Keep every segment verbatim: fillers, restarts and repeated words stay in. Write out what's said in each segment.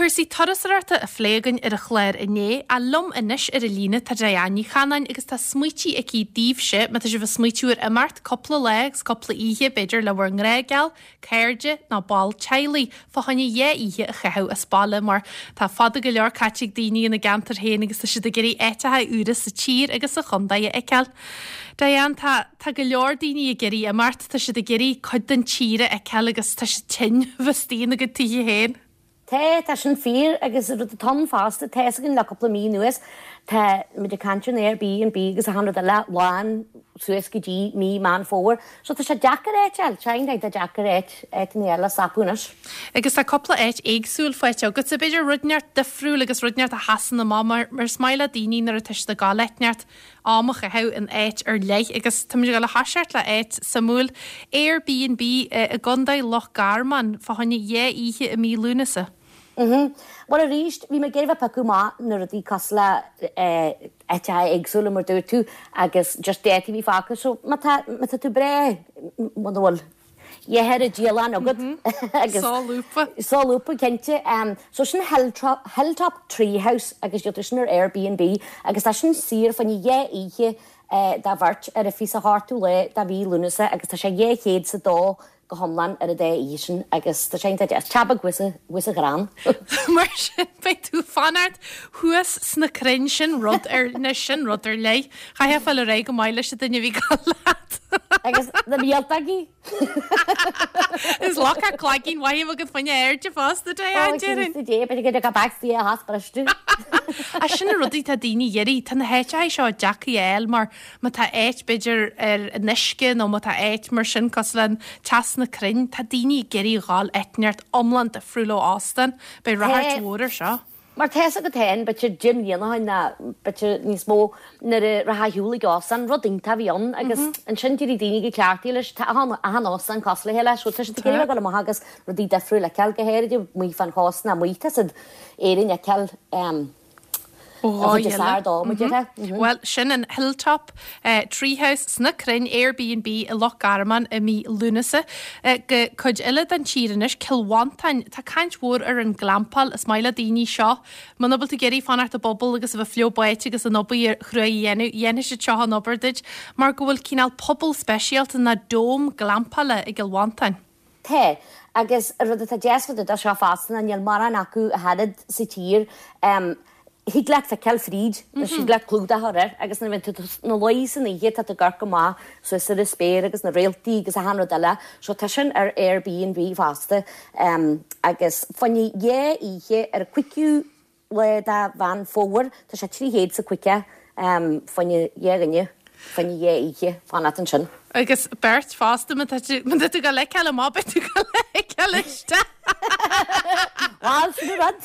cúrsaí turasóireachta á phlé againn ar an chlár inné, ach liom anois ar an líne tá Diane Ní Chanainn agus tá smaointe aici daoibhse má tá sibh ag smaoitiú ar imeacht cúpla lá agus cúpla oíche b'fhéidir le bhur ngrá geal, cairde nó ball teaghlaigh fá choinne dhá oíche a chaitheamh as baile mar tá fada go leor caite ag daoine ina gceantar féin agus tá siad ag iarraidh áiteacha úra sa tír agus sa chontae a fheiceáil. Diane tá tá go leor daoine ag iarraidh imeacht, tá siad ag iarraidh cuid den tír a fheiceáil agus tá siad tinn bheith istigh ina gcuid tithe féin. Tá tá sin fíor agus rud atá fosta tá againn le cúpla mí anuas tá muid ag caint ar Airbnb agus achan rud eile lán suas go dtí mí Meán Fómhair, so tá sé deacair áit a fháil tá deacair áit áiteanna eile sapunnas. Agus tá cúpla áit éagsúil faighte agat, so b'fhéidir rud inteacht difriúil agus rud inteacht a sheasann amach mar mar is maith le daoine nuair atá siad ag gabháil áit inteacht am a chaitheamh in áit ar leith agus tá muid ag gabháil a thoiseacht le áit suimiúil Airbnb i gContae Loch Garman fá choinne dhá oíche i mí Lúnasa. Mhm. Well arís bhí mé géh peú má na rudaí cos le eitá éagsúla mar dúirt tú agus just déataí bhí fágtha so má tá má tá tú breá bhfuil dheathair a díolán agat agus Solúbtha. Solúbtha cinnte um, so sin Hilltop, Hilltop Treehouse agus gheobhaidh tú sin ar Airbnb agus tá sin saor fá choinne dhá oíche uh, dá bheirt ar an fiche hochtú lá de mhí Lúnasa agus tá sé dhá chéad sa dó go hiomlán ar an dá oíche sin agus tá sé teaba thuas sa gcrann. Mar sin beidh tú fanacht thuas sna crainn sin rud ar na sin rud ar leith. Chaithfeá fáil ar aghaidh go maith leis an duine bhí go leat. Agus na míoltaí? Is locha claigín bhhaim agus faoine airde fosta déarfainn. Dé go back has breú. A sin na rudaí tá daoine ag iarraidh tá na háiteacha seo deacair a fháil mar má tá áit b'fhéidir ar an uisce nó má tá áit mar sin cosúil le teas na crainn, tá daoine ag iarraidh gabháil áit inteacht iomlán difriúil ó óstán, beidh ráchairt mhór ar seo. Mar tá go tain b'fhéidir deich mbliana na b'fhéidir níos mó nuair a rachaidh óstán rud iontach a bhí ann agus ansin d'éirigh daoine go ceartaí leis tá achan óstán cosúil le chéile so tá siad ag iarraidh dul amach agus rudaí difriúil a fheiceáil go háirithe amuigh fán chósta ná amuigh tá siad Éirinn a fheiceáil Well sin an Hilltop uh, Treehouse sna crainn Airbnb i Loch Garman i mí Lúnasa. Uh, go cuid eile den tír anois Cill Mhantáin tá caint mhór ar an glampáil is maith le daoine seo. Muna bhfuil tú ag iarraidh fanacht i bpuball agus a bheith fliuch báite agus an obair chrua a dhéanamh dhéanfaidh siad seo an obair duit, mar go bhfuil cineál puball speisialta ná dome glampála i gCill Mhantáin. Tá agus rud atá deas de seo fosta níl mórán acu a oiread sa tír. Um, Thig leat feiceáil fríd thig leat clúdach air agus na na luí san oíche tá gar go maith so ar an spéir agus na réaltaí agus achan rud eile, so tá sin ar Airbnb fosta um, agus fá choinne dhá oíche ar an cúigiú lá de Mheán Fómhair tá sé trí chéad sa caoga um, fá choinne dhá dhuine fá choinne dhá oíche fanacht ansin. Agus beirt fosta má tá tú go leiceile má be tú go leiceile Well sin rud.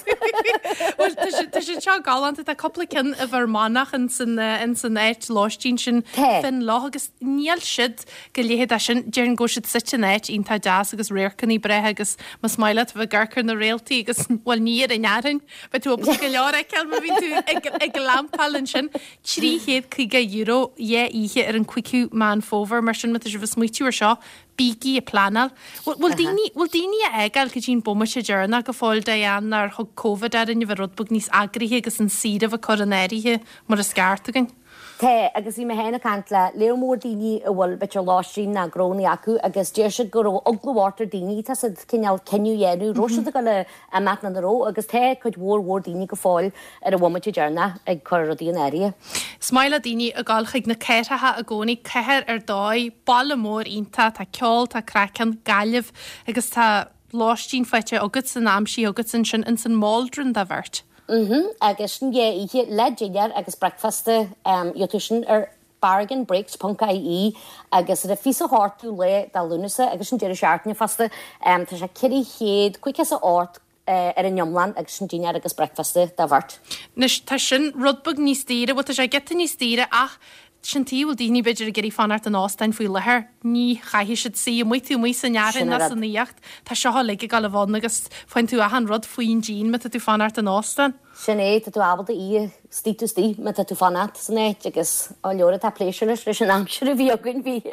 Tá sé seo galánta tá cúpla cinn i bhFear Manach in san in san áit lóistín sin Finn Loch agus níl siad go léithe sin déarfainn go siad suite in áit iontach deas agus radharcanna breátha agus más maith leat bheith ag amharc ar na réaltaí agus bhfuil ní ar an airinn, Be tú go leor fheiceáil má bhíonn tú ag ag glampáil ansin trí chéad caoga euro dhá oíche ar an cúigiú Meán Fómhair mar sin má tá sibh ag smaoitiú ar seo bígí ag pleanáil. Bhfuil daoine bhfuil daoine a fhágáil go dtí'n bomaite deireanach go fóill Diane nár thug COVID orainn a bheith rud beag níos eagraithe agus an saoire a chur in áirithe mar is ceart againn. Tá agus bhí mé féin ag caint le lear mór daoine a bhfuil b'fhéidir lóistín ná gnónna acu agus deir siad go raibh eagla mhór ar daoine tá siad cineál cinneadh a dhéanamh raibh siad ag dul imeacht nó nach raibh agus tá cuid mhór mhór daoine go fóill ar an bhomaite deireanach ag cur rudaí in áirithe. Is maith le daoine ag dul chuig na cathracha i gcónaí cathair ar dóigh, baile mór iontach, tá ceol, tá craic ann, Gaillimh agus tá lóistín faighte agat san aimsithe agat ansin in san Maldron dá bheirt. Mhm, agus sin dhá oíche le dinnéar agus bricfeasta um, tú sin ar bargainbreaks.ie agus ar an fiche hochtú lá de Lúnasa agus sin deireadh seachtaine fosta um, tá sé ceithre chéad caoga a hocht uh, ar an iomlán agus sin dinnéar agus bricfeasta dá bheirt. Anois tá sin rud beag níos daoire, bhfuil tá sé giota níos daoire ach sin tí bhfuil daoine b'fhéidir ag iarraidh fanacht in óstáin faoi láthair ní chaithfidh siad suí amuigh tú amuigh san fhearthainn Sin ná rud. san aíocht Tá seo uilig ag gabháil a bheith ann agus faigheann tú achan rud faoin díon má tá tú fanacht in óstán. Sin é tá tú ábalta ithe istigh tú istigh má tá tú fanacht san áit agus á leor tá pléisiúr leis leis an aimsir a bhí againn bhí.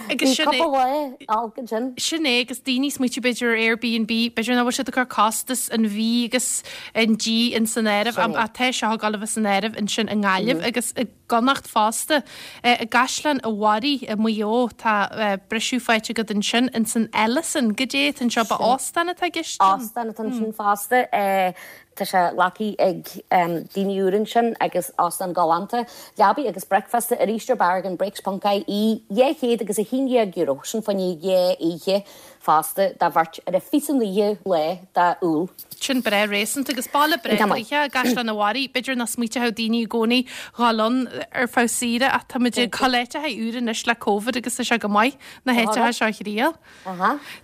Agus sin é cúpla olc ansin. Sin é agus daoine smaoitiú b'fhéidir ar Airbnb, b'fhéidir nach bhfuil siad ag cur costas an bhia agus an dí in san áireamh Sin é. ach tá seo ag dul a bheith san áireamh ansin i nGaillimh agus i gConnacht fosta. I gCaisleán an Bharraigh i Maigh Eo tá briseadh faighte agat ansin in san Ellison goidé tá anseo ba óstán atá i gceist ann. Óstán atá ansin fosta. Tá sé glactha ag daoine úr ansin agus óstán galánta. Leabaí agus bricfeasta arís ar bargainbreaks ponc ie dhá chéad agus a haon déag euro, sin fá choinne dhá oíche fosta do bheirt ar an fiche naoú lá d'Iúil. Sin breá réasúnta agus baile breá i gCaisleán an Bharraigh, b'fhéidir nach smaointeodh daoine i gcónaí dhul ann ar feadh saoire ach táimid ag dul áiteacha úr anois le Covid agus tá sé go maith na háiteacha seo a thriail.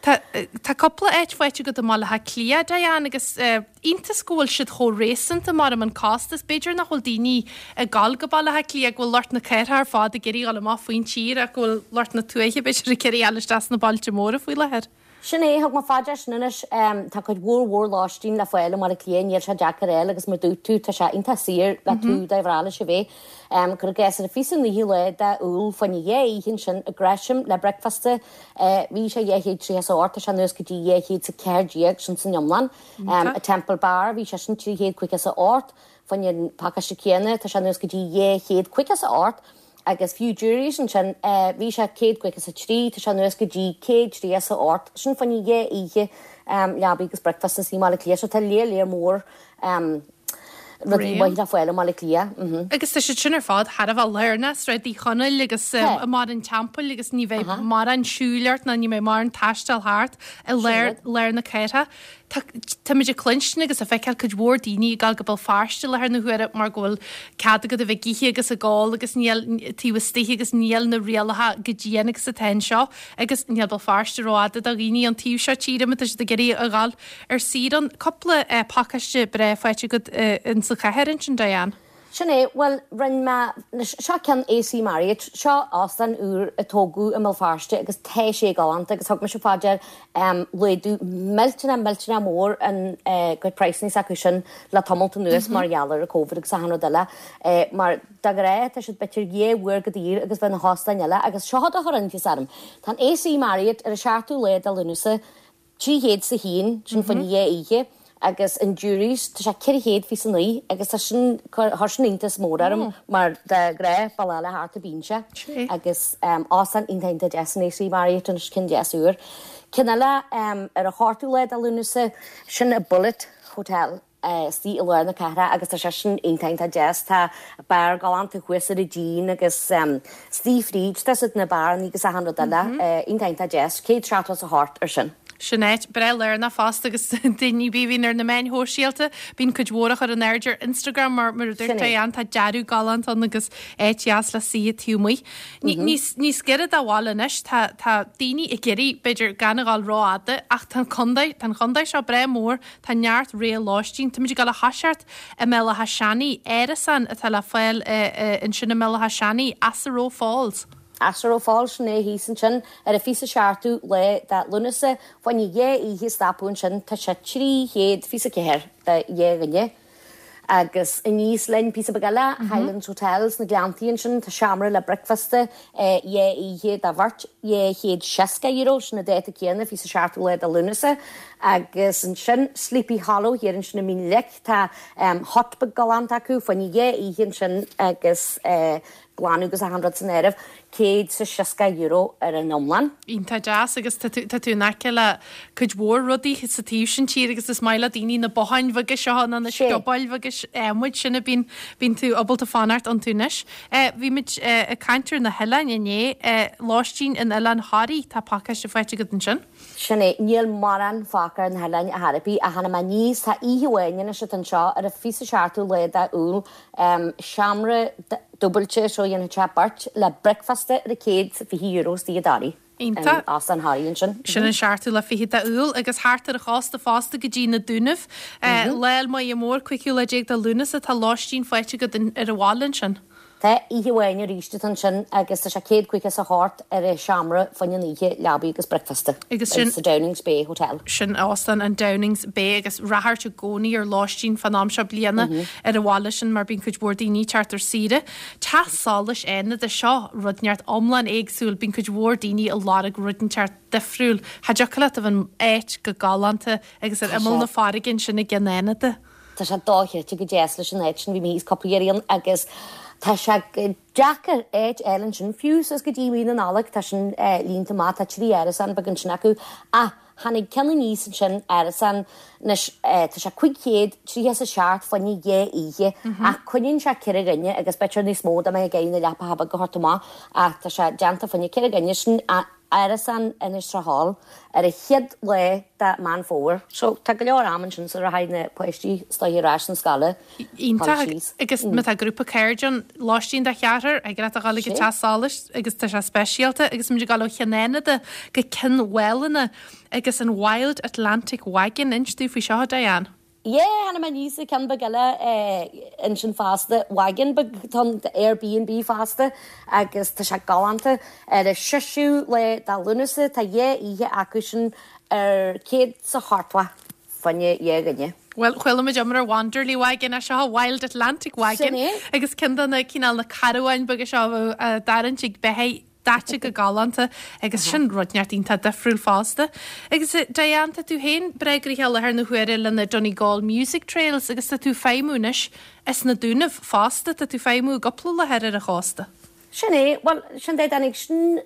Tá tá cúpla áit faighte agat i mBaile Átha Cliath, Diane, agus iontach go bhfuil siad chomh réasúnta mar an costas, b'fhéidir nach bhfuil daoine ag dul go Baile Átha Cliath go bhfuil lucht na cathrach ar fad ag iarraidh dul amach faoin tír ach go bhfuil lucht na tuaithe b'fhéidir ag iarraidh dul isteach sna bailte móra faoi láthair. Sin é, thug mé fá dear sin anois, tá cuid mhór mhór lóistín le fáil i mBaile Átha Cliath, níl sé deacair a fháil agus mar dúirt tú, tá sé iontach saor le tú dá bhreá leis a bheith. Cuir i gcás ar an fiche naoú lá d'Iúil fá choinne dhá oíche ansin i Gresham le bricfeasta, bhí sé dhá chéad tríocha is a hocht, tá sé anuas go dtí dhá chéad is a ceathair déag, sin san iomlán. I Temple Bar bhí sé sin trí chéad caoga is a hocht, fá choinne an pacáiste céanna, tá sé anuas go dtí dhá chéad caoga is a hocht. Agus fiú Jurys ansin, bhí sé céad caoga is a trí, tá sé anuas go dtí céad tríocha is a hocht, sin fá choinne dhá oíche leabaí agus bricfeasta i mBaile Átha Cliath, so tá léar léar mór rudaí maithe le fáil i mBaile Átha Cliath. Agus tá siad sin ar fad thar a bheith lárnach, Sráid Uí Chonaill agus i mBarr an Teampaill agus ní bheidh mórán siúil ort ná ní bheidh mórán taistil thart i lár na cathrach. Táimid ag cluinstin agus ag feiceáil cuid mhór daoine ag dul go Béal Feirste i láthair na huaire mar go bhfuil cead agat a bheith ag ithe agus ag ól agus níl taobh istigh agus níl na rialacha chomh dian agus atá anseo agus níl Béal Feirste rófhada do dhaoine an taobh seo tíre má tá siad ag iarraidh a dhul ar saoire ann. Cúpla pacáiste breá faighte agat in sa chathair ansin, Diane. Sin é, bhuel, rinne mé, seo ceann AC Marriott, seo óstán úr a tógadh i mBéal Feirste agus tá sé galánta agus thug mise fá dear laghdú millteanach, millteanach mór an gcuid praghsanna s'acu sin le tamalt anuas mar gheall ar an Covid agus achan rud eile mar de ghnáth tá siad b'fhéidir dhá uair chomh daor agus bheith na hóstáin eile agus seo a chuir iontas orm. Tá an AC Marriott ar an seachtú lá de Lúnasa, trí chéad is a haon, sin fá choinne dhá oíche, agus an Jurys, tá sé ceithre chéad fiche a naoi agus tá sin, chuir sin iontas mór orm mar de ghnáth ba lá le thart a bíonn sé agus óstán iontach iontach deas an AC Marriott anois ceann deas úr. Ceann eile ar an ochtú lá de Lúnasa, sin an Bullitt Hotel. istigh i lár na cathrach agus tá sé sin iontach iontach deas. Tá beár galánta thuas ar an díon agus istigh fríd, tá siad na beáranna agus achan rud eile iontach iontach deas. Céad seachtó is a hocht ar sin. Sin áit breá lárnach fosta agus duine ar bith a bhíonn ar na meáin shóisialta, bíonn cuid mhór á chur in airde ar Instagram mar mar a dúirt Diane, tá dearadh galánta ann agus áit dheas le suí taobh amuigh. Níos níos giorra do bhaile anois, tá tá daoine ag iarraidh, b'fhéidir, gan a dhul rófhada ach tá an contae, tá an chontae seo breá mór, tá neart rogha lóistín. Táimid ag dul a thoiseacht i mBéal Átha Seanaidh, árasán atá le fáil ansin i mBéal Átha Seanaidh, Assaroe Falls. Assaroe Falls, sin é thíos ansin ar an fiche seachtú lá de Lúnasa, fá choinne dhá oíche stopadh ansin, tá sé trí chéad fiche a ceathair do dhá dhuine. Agus aníos linn píosa beag eile, Highlands Hotel sna Gleanntaí ansin, tá seomra le bricfeasta dhá oíche do bheirt, dhá chéad seasca euro, sin an dáta céanna, fiche seachtú lá de Lúnasa. Agus ansin Sleepy Hollow thiar ansin i Mín Leic, tá hut beag galánta acu, fá choinne dhá oíche ansin agus glanadh agus achan rud san áireamh, céad 's a seasca euro ar an iomlán. Iontach deas agus tá tú, tá tú in aice le cuid mhór rudaí sa taobh sin tíre agus is maith le daoine na botháin bheaga seo nó na sciobóil bheaga adhmaid sin a bíonn, bíonn tú ábalta fanacht iontu anois. Bhí muid ag caint ar na hoileáin inné, lóistín in Oileán Thoraí, tá pacáiste faighte agat ansin. Sin é, níl mórán fágtha ar na hoileáin ar chor ar bith ach tháinig mé aníos, tá oíche amháin anois atá anseo ar an fiche seachtú lá d'Iúil, seomra dúbailte so dhéanfadh sé beirt le bricfeasta ar céad 's fiche euro istigh i dToraigh. Iontach. In Óstán Thoraí ansin. Sin an seachtú lá fichead d'Iúil agus thart ar an chósta fosta go dtí na Dúnaibh. Lá 'le Muire Mór, cúigiú lá déag de Lúnasa, tá lóistín faighte agat ar an bhaile ansin. Tá oíche amháin arís atá ansin agus tá sé céad caoga is a hocht ar an seomra fá choinne an oíche, leabaidh agus bricfeasta. Agus sin. Sa Downings Bay Hotel. Sin óstán an Downings Bay agus ráchairt i gcónaí ar lóistín fán am seo bliana ar an bhaile sin mar bíonn cuid mhór daoine ag teacht ar saoire. Teach Solais Fhánada, seo rud inteacht iomlán éagsúil, bíonn cuid mhór daoine ag lorg rud inteacht difriúil. Cha dtiocfadh leat a bheith in áit chomh galánta agus ar imeall na farraige ansin i gCionn Fhánada. Tá sé dochreidte go deas leis an áit sin, bhí mé thíos cúpla iarraidh ann agus tá sé go deacair áit a fháil ansin, fiú suas go dtí mí na Nollag, tá sin líonta amach, tá trí árasán beag ansin acu ach tháinig ceann aníos ansin, árasán, anois tá sé cúig chéad tríocha is a seacht fá choinne dhá oíche ach coinníonn sé ceithre dhuine agus b'fhéidir níos mó dá mbeadh ag iarraidh na leapacha beaga a thabhairt amach ach tá sé déanta fá choinne ceithre dhuine, sin Árasán Inis Trá ar an chéad lá de Meán Fómhair. So tá go leor am ansin sula rachaidh na páistí istoíche ar ais na scoile. Iontach agus má tá grúpa cairde ann, lóistín do cheathrar, thig leat a dhul ag an teach solais agus tá sé speisialta agus muid ag dul ó Chionn Fhánada go Cionn Mhálanna agus an Wild Atlantic Wagon, inis dúinn faoi seo, Diane. Yeah, tháinig mé aníos ar ceann beag eile ansin fosta, wagon beag atá ann, Airbnb fosta agus tá sé galánta. Ar an seisiú lá de Lúnasa tá dhá oíche acu sin ar céad 's a hochtó fá choinne dhá dhuine. Bhuel, chuala muid iomrá ar Wanderly Wagon, é seo Wild Atlantic Wagon agus ceann de na cineál na carabháin beaga seo a dtarraingt ag beithígh. daite go galánta agus sin rud inteacht iontach difriúil fosta. Agus Diane, tá tú féin breá gnoitheach i láthair na huaire le na Donegal Music Trails agus tá tú ag feidhmiú anois as na Dúnaibh fosta, tá tú ag feidhmiú i gcúpla láthair ar an chósta. Sin é, bhuel, sin é, tháinig sin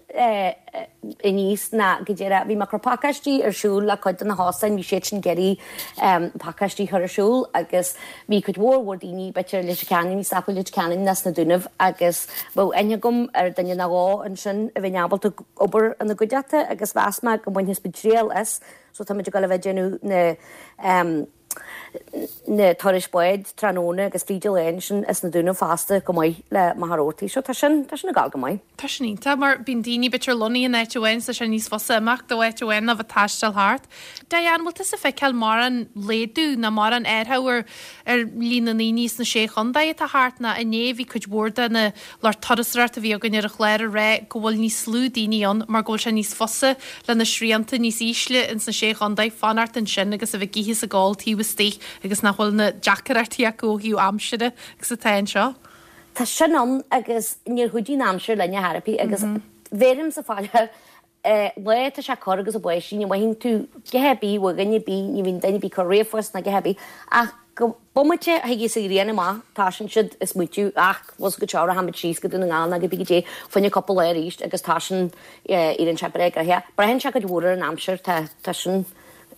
aníos ná go díreach, bhí mé ag cur pacáistí ar siúl le cuid de na hóstáin, bhí siad sin ag iarraidh pacáistí a chur ar siúl agus bhí cuid mhór mhór daoine, b'fhéidir i Leitir Ceanainn, ag stopadh i Leitir Ceanainn nó sna Dúnaibh agus bheadh aithne agam ar duine nó dhó ansin a bheinn ábalta obair ina gcuideachta agus mheas mé go mbainfeadh muid triail as so tá muid ag dul a bheith ag déanamh na na turais báid tráthnóna agus fríd an lae ansin as na Dúnaibh fosta chomh maith le Machaire Rabhartaigh so tá sin tá sin ag dul go maith. Tá sin iontach mar bíonn daoine b'fhéidir lonnaithe in áit amháin so tá sé níos fusa imeacht ó áit amháin ná bheith ag taisteal thart. Diane, bhfuil tusa ag feiceáil mórán laghdú ná mórán athrú ar ar líon na ndaoine sna Sé Chontae atá thart ná inné bhí cuid mhór de na lucht turasóireachta a bhí againn ar an chlár ag rá go bhfuil níos lú daoine ann mar go bhfuil sé níos fusa le na srianta níos ísle ins na Sé Chontae fanacht ansin agus a bheith ag ithe is ag ól taobh istigh agus nach bhfuil na deacrachtaí acu ó thaobh aimsire agus atá anseo. Tá sin ann agus níor chuidigh an aimsir linn ar chor ar bith agus bheirim sa bhaile lá tá sé corr agus ag báisteach ní mhothaíonn tú a dhath ar bith ó dhuine ar bith ní bhíonn duine ar bith ag cur ríomhphost ná a dhath ar bith ach go bomaite a thig an ghrian amach tosaíonn siad ag smaoitiú ach bhfuil go seo rachaimid síos go Dún na nGall nó go bí go dé fá choinne cúpla lá arís agus tá sin éiríonn sé breá gnoitheach. Braitheann sé cuid mhór ar an aimsir tá tá sin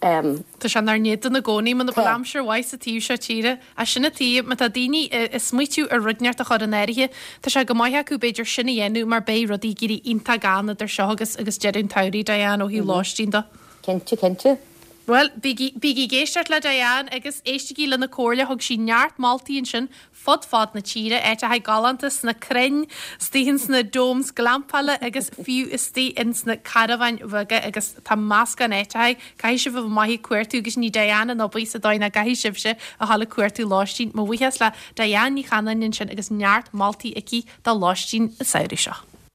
Tá sé inár n-éadan i gcónaí muna bhfuil aimsir mhaith sa taobh seo tíre. Ach sin an taobh, má tá daoine ag smaoitiú ar rud inteacht a chur in áirithe, tá sé go maith acu b'fhéidir sin a dhéanamh mar beidh rudaí ag éirí iontach gann idir seo agus agus deireadh an tsamhraidh, Diane, ó thaobh lóistín de. Cinnte, cinnte. Bhuel, bígí, bígí ag éisteacht le Diane agus éistigí lena comhairle, thug sí neart moltaí ansin fud fad na tíre, áiteacha galánta sna crainn, istigh ins na domes glampála agus fiú istigh ins na carabháin bheaga agus tá meascán áiteacha, caithfidh sibh a bheith maith ag cuartú agus ní Diane an obair sa dóigh ná caithfidh sibhse a dhul ag cuartú lóistín. Mo bhuíochas le Diane Ní Chanainn ansin agus neart moltaí aici do lóistín an samhradh seo.